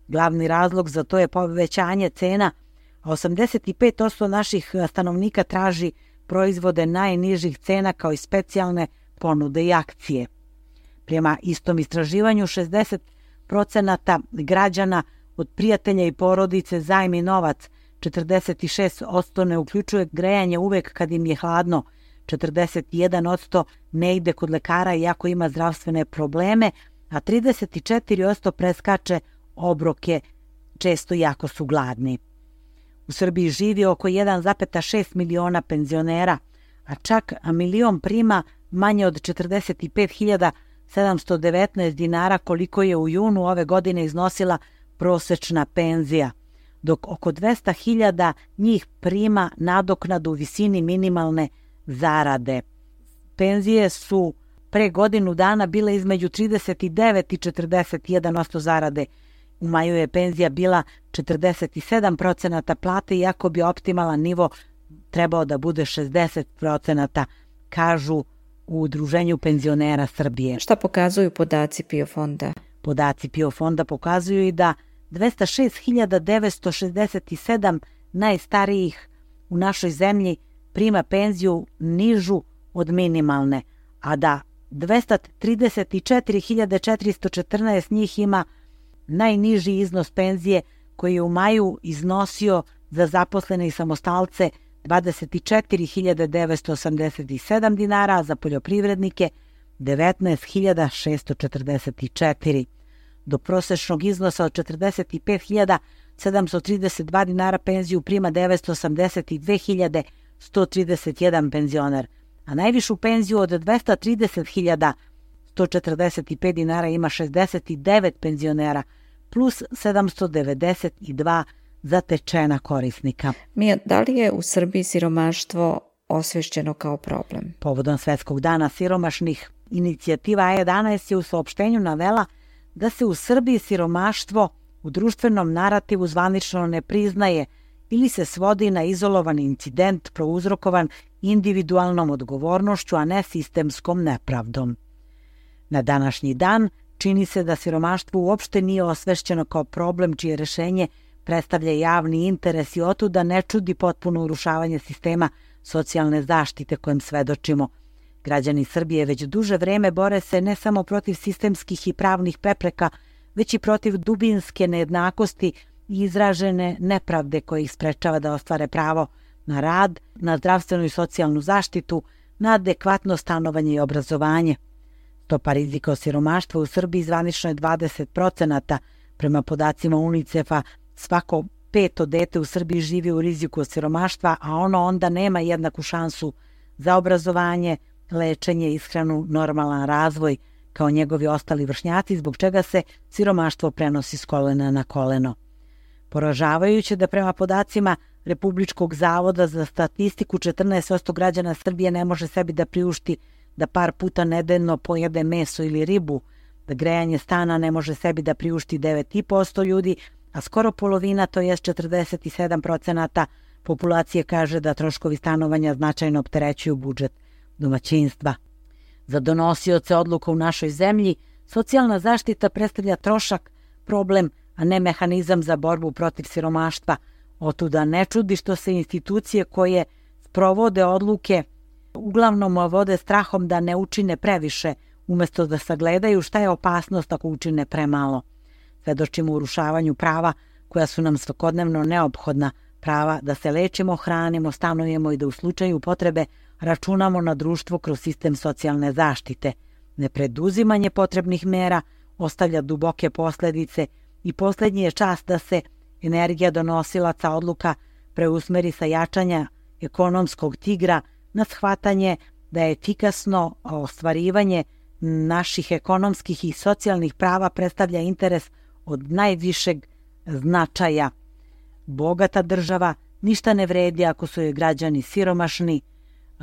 Glavni razlog za to je povećanje cena, a osamdeset pet posto naših stanovnika traži proizvode najnižih cena kao i specijalne ponude i akcije. Prema istom istraživanju, šezdeset procenata građana od prijatelja i porodice zajmi novac, četrdeset šest posto ne uključuje grejanje uvek kad im je hladno, četrdeset jedan posto ne ide kod lekara iako ima zdravstvene probleme, a trideset četiri posto preskače obroke često jako su gladni. U Srbiji živi oko jedan zarez šest miliona penzionera, a čak milion prima manje od četrdeset pet hiljada sedamsto devetnaest dinara koliko je u junu ove godine iznosila prosečna penzija, dok oko dvesta hiljada njih prima nadoknadu u visini minimalne zarade. Penzije su pre godinu dana bile između trideset devet i četrdeset jedan posto zarade. U maju je penzija bila četrdeset sedam procenata plate, iako bi optimalan nivo trebao da bude šezdeset procenata, kažu u Udruženju penzionera Srbije. Šta pokazuju podaci PIO fonda? Podaci PIO fonda pokazuju i da dvesta šest hiljada devetsto šezdeset sedam najstarijih u našoj zemlji prima penziju nižu od minimalne, a da dvesta trideset četiri hiljade četiristo četrnaest njih ima najniži iznos penzije koji je u maju iznosio za zaposlene i samostalce dvadeset četiri hiljade devetsto osamdeset sedam dinara, a za poljoprivrednike devetnaest hiljada šessto četrdeset četiri. Do prosečnog iznosa od četrdeset pet hiljada sedamsto trideset dva dinara penziju prima devetsto osamdeset dve hiljade sto trideset jedan penzioner, a najvišu penziju od dvesta trideset hiljada sto četrdeset pet dinara ima šezdeset devet penzionera, plus sedamsto devedeset dva zatečena korisnika. Mija, da li je u Srbiji siromaštvo osvešćeno kao problem? Povodom Svetskog dana siromašnih, inicijativa A jedanaest je u saopštenju navela da se u Srbiji siromaštvo u društvenom narativu zvanično ne priznaje ili se svodi na izolovan incident prouzrokovan individualnom odgovornošću, a ne sistemskom nepravdom. Na današnji dan čini se da siromaštvo uopšte nije osvešćeno kao problem čije rešenje predstavlja javni interes i otuda ne čudi potpuno urušavanje sistema socijalne zaštite kojem svedočimo. Građani Srbije već duže vreme bore se ne samo protiv sistemskih i pravnih prepreka, već i protiv dubinske nejednakosti i izražene nepravde koje ih sprečava da ostvare pravo na rad, na zdravstvenu i socijalnu zaštitu, na adekvatno stanovanje i obrazovanje. Stopa rizika od siromaštva u Srbiji zvanično je dvadeset procenata. Prema podacima UNICEF-a, svako peto dete u Srbiji živi u riziku od siromaštva, a ono onda nema jednaku šansu za obrazovanje, lečenje, ishranu, normalan razvoj kao njegovi ostali vršnjaci, zbog čega se siromaštvo prenosi s kolena na koleno. Poražavajuće da prema podacima Republičkog zavoda za statistiku četrnaest posto građana Srbije ne može sebi da priušti da par puta nedeljno pojede meso ili ribu, da grejanje stana ne može sebi da priušti devet i po posto ljudi, a skoro polovina, to jest četrdeset sedam procenata populacije kaže da troškovi stanovanja značajno opterećuju budžet domaćinstva. Za donosioce odluka u našoj zemlji, socijalna zaštita predstavlja trošak, problem, a ne mehanizam za borbu protiv siromaštva. Otuda ne čudi što se institucije koje sprovode odluke uglavnom vode strahom da ne učine previše, umesto da sagledaju šta je opasnost ako učine premalo. Svedočimo urušavanju prava koja su nam svakodnevno neophodna, prava da se lečimo, hranimo, stanujemo i da u slučaju potrebe računamo na društvo kroz sistem socijalne zaštite. Nepreduzimanje potrebnih mera ostavlja duboke posledice i posljednji je čas da se energija donosilaca odluka preusmeri sa jačanja ekonomskog tigra na shvatanje da je efikasno ostvarivanje naših ekonomskih i socijalnih prava predstavlja interes od najvišeg značaja. Bogata država ništa ne vredi ako su joj građani siromašni,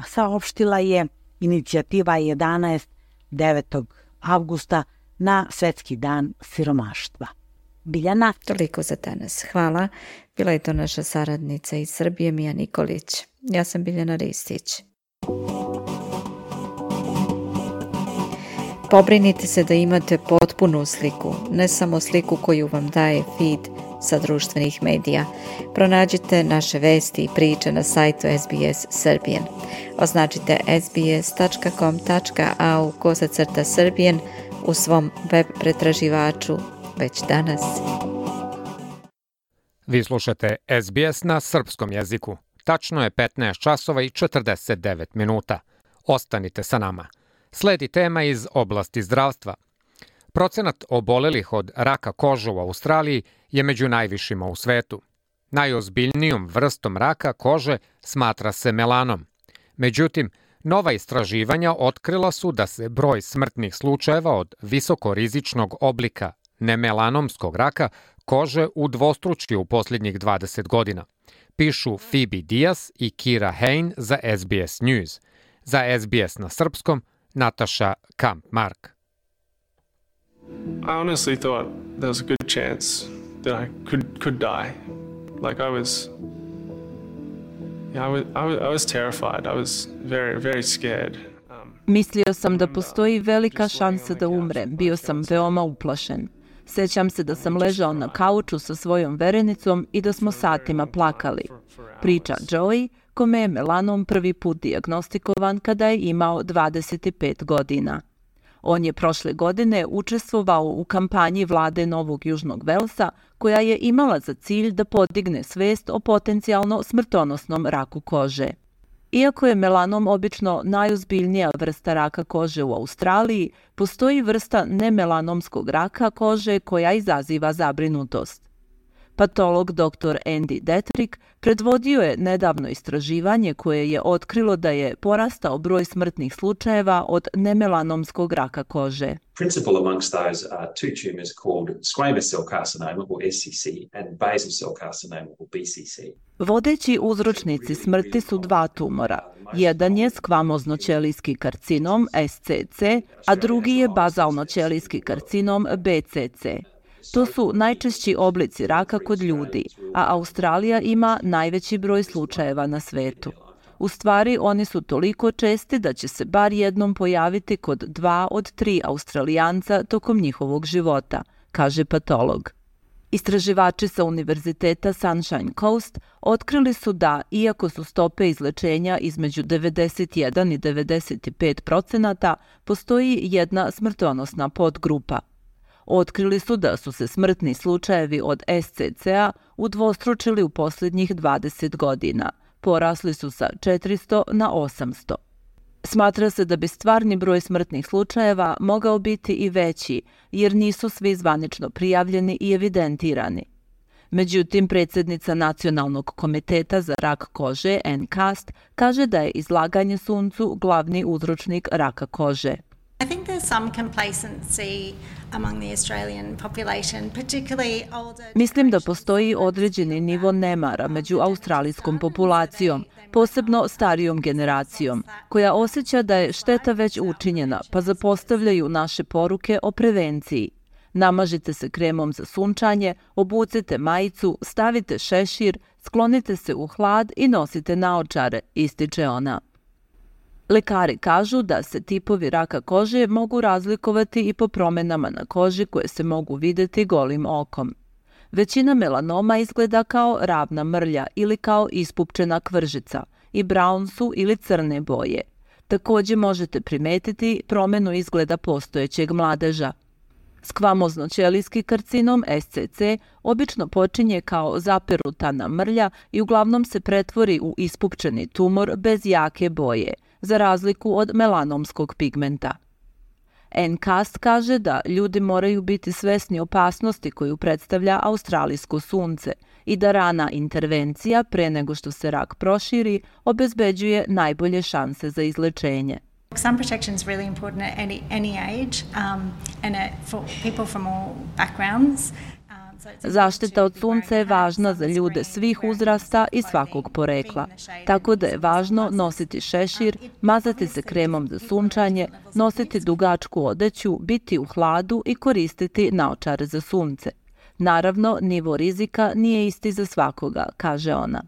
saopštila je inicijativa A jedanaest devetog avgusta na Svetski dan siromaštva. Biljana. Toliko za danas. Hvala. Bila je to naša saradnica iz Srbije, Mija Nikolić. Ja sam Biljana Ristić. Pobrinite se da imate potpunu sliku, ne samo sliku koju vam daje feed sa društvenih medija. Pronađite naše vesti i priče na sajtu S B S Serbian. Označite sbs tačka com tačka a u kosacrta Serbian u svom web pretraživaču već danas. Vi slušate S B S na srpskom jeziku. Tačno je petnaest časova i četrdeset devet minuta. Ostanite sa nama. Sledi tema iz oblasti zdravstva. Procenat obolelih od raka kože u Australiji je među najvišima u svetu. Najozbiljnijom vrstom raka kože smatra se melanom. Međutim, nova istraživanja otkrila su da se broj smrtnih slučajeva od visokorizičnog oblika nemelanomskog raka kože udvostručio u posljednjih dvadeset godina. Pišu Phoebe Diaz i Kira Hain za S B S News. Za S B S na srpskom, Nataša Kamp-Mark. I honestly thought there was a good chance that I could could die. Like I was, yeah, I was, I was, I was terrified. I was very, very scared. Mislio sam da postoji velika šansa da umrem. Bio sam veoma uplašen. Sećam se da sam ležao na kauču sa svojom verenicom i da smo satima plakali. Priča Joey, kome je melanom prvi put dijagnostikovan kada je imao dvadeset pet godina. On je prošle godine učestvovao u kampanji vlade Novog Južnog Velsa koja je imala za cilj da podigne svest o potencijalno smrtonosnom raku kože. Iako je melanom obično najozbiljnija vrsta raka kože u Australiji, postoji vrsta nemelanomskog raka kože koja izaziva zabrinutost. Patolog doktor Andy Detrick predvodio je nedavno istraživanje koje je otkrilo da je porastao broj smrtnih slučajeva od nemelanomskog raka kože. Principal amongst those are two tumors called squamous cell carcinoma or S C C and basal cell carcinoma or B C C. Vodeći uzročnici smrti su dva tumora. Jedan je skvamozno-ćelijski karcinom S C C, a drugi je bazalno-ćelijski karcinom B C C. To su najčešći oblici raka kod ljudi, a Australija ima najveći broj slučajeva na svetu. U stvari, oni su toliko česti da će se bar jednom pojaviti kod dva od tri Australijanca tokom njihovog života, kaže patolog. Istraživači sa Univerziteta Sunshine Coast otkrili su da, iako su stope izlečenja između devedeset jedan i devedeset pet procenata, postoji jedna smrtonosna podgrupa. Otkrili su da su se smrtni slučajevi od S C C-a udvostručili u posljednjih dvadeset godina. Porasli su sa četiristo na osamsto. Smatra se da bi stvarni broj smrtnih slučajeva mogao biti i veći, jer nisu svi zvanično prijavljeni i evidentirani. Međutim, predsjednica Nacionalnog komiteta za rak kože, Ann Cast, kaže da je izlaganje suncu glavni uzročnik raka kože. I think there's some complacency among the Australian population, particularly older. Mislim da postoji određeni nivo nemara među australijskom populacijom, posebno starijom generacijom, koja osjeća da je šteta već učinjena, pa zapostavljaju naše poruke o prevenciji. Namažite se kremom za sunčanje, obucite majicu, stavite šešir, sklonite se u hlad i nosite naočare, ističe ona. Lekari kažu da se tipovi raka kože mogu razlikovati i po promjenama na koži koje se mogu vidjeti golim okom. Većina melanoma izgleda kao ravna mrlja ili kao ispupčena kvržica i brown su ili crne boje. Također možete primetiti promjenu izgleda postojećeg mladeža. Skvamozno-ćelijski karcinom S C C obično počinje kao zaperutana mrlja i uglavnom se pretvori u ispupčeni tumor bez jake boje, za razliku od melanomskog pigmenta. Ann Cast kaže da ljudi moraju biti svesni opasnosti koju predstavlja australijsko sunce i da rana intervencija pre nego što se rak proširi obezbeđuje najbolje šanse za izlečenje. Sun protection is really important at any, any age um, and at, for people from all backgrounds. Zaštita od sunca je važna za ljude svih uzrasta i svakog porekla, tako da je važno nositi šešir, mazati se kremom za sunčanje, nositi dugačku odeću, biti u hladu i koristiti naočare za sunce. Naravno, nivo rizika nije isti za svakoga, kaže ona.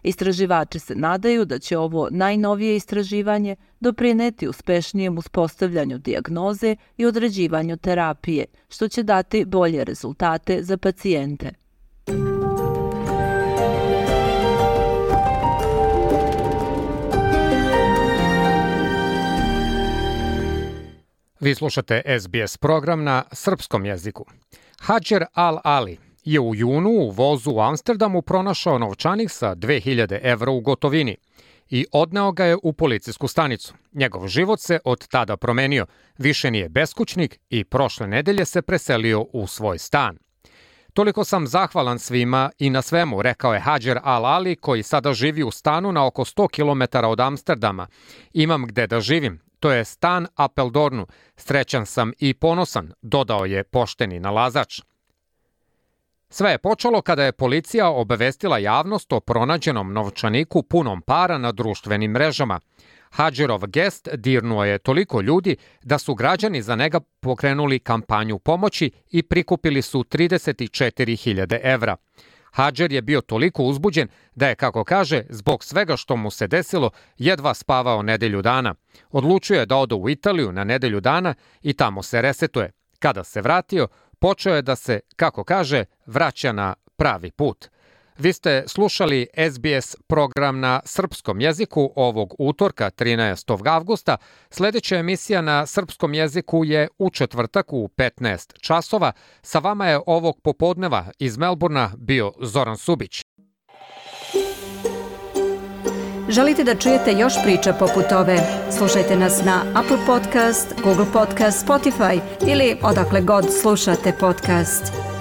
Istraživači se nadaju da će ovo najnovije istraživanje doprineti uspešnijem uspostavljanju dijagnoze i određivanju terapije, što će dati bolje rezultate za pacijente. Vi slušate S B S program na srpskom jeziku. Hadžer Al Ali je u junu u vozu u Amsterdamu pronašao novčanik sa dve hiljade evra u gotovini i odneo ga je u policijsku stanicu. Njegov život se od tada promenio, više nije beskućnik i prošle nedelje se preselio u svoj stan. Toliko sam zahvalan svima i na svemu, rekao je Hadjer Al-Ali, koji sada živi u stanu na oko sto kilometara od Amsterdama. Imam gde da živim, to je stan Apeldoornu. Srećan sam i ponosan, dodao je pošteni nalazač. Sve je počelo kada je policija obavestila javnost o pronađenom novčaniku punom para na društvenim mrežama. Hadjerov gest dirnuo je toliko ljudi da su građani za njega pokrenuli kampanju pomoći i prikupili su trideset četiri hiljade evra. Hadjer je bio toliko uzbuđen da je, kako kaže, zbog svega što mu se desilo, jedva spavao nedelju dana. Odlučio je da ode u Italiju na nedelju dana i tamo se resetuje. Kada se vratio, počeo je da se, kako kaže, vraća na pravi put. Vi ste slušali S B S program na srpskom jeziku ovog utorka trinaestog avgusta. Sljedeća emisija na srpskom jeziku je u četvrtak u petnaest časova. Sa vama je ovog popodneva iz Melburna bio Zoran Subić. Želite da čujete još priča poput ove? Slušajte nas na Apple Podcast, Google Podcast, Spotify ili odakle god slušate podcast.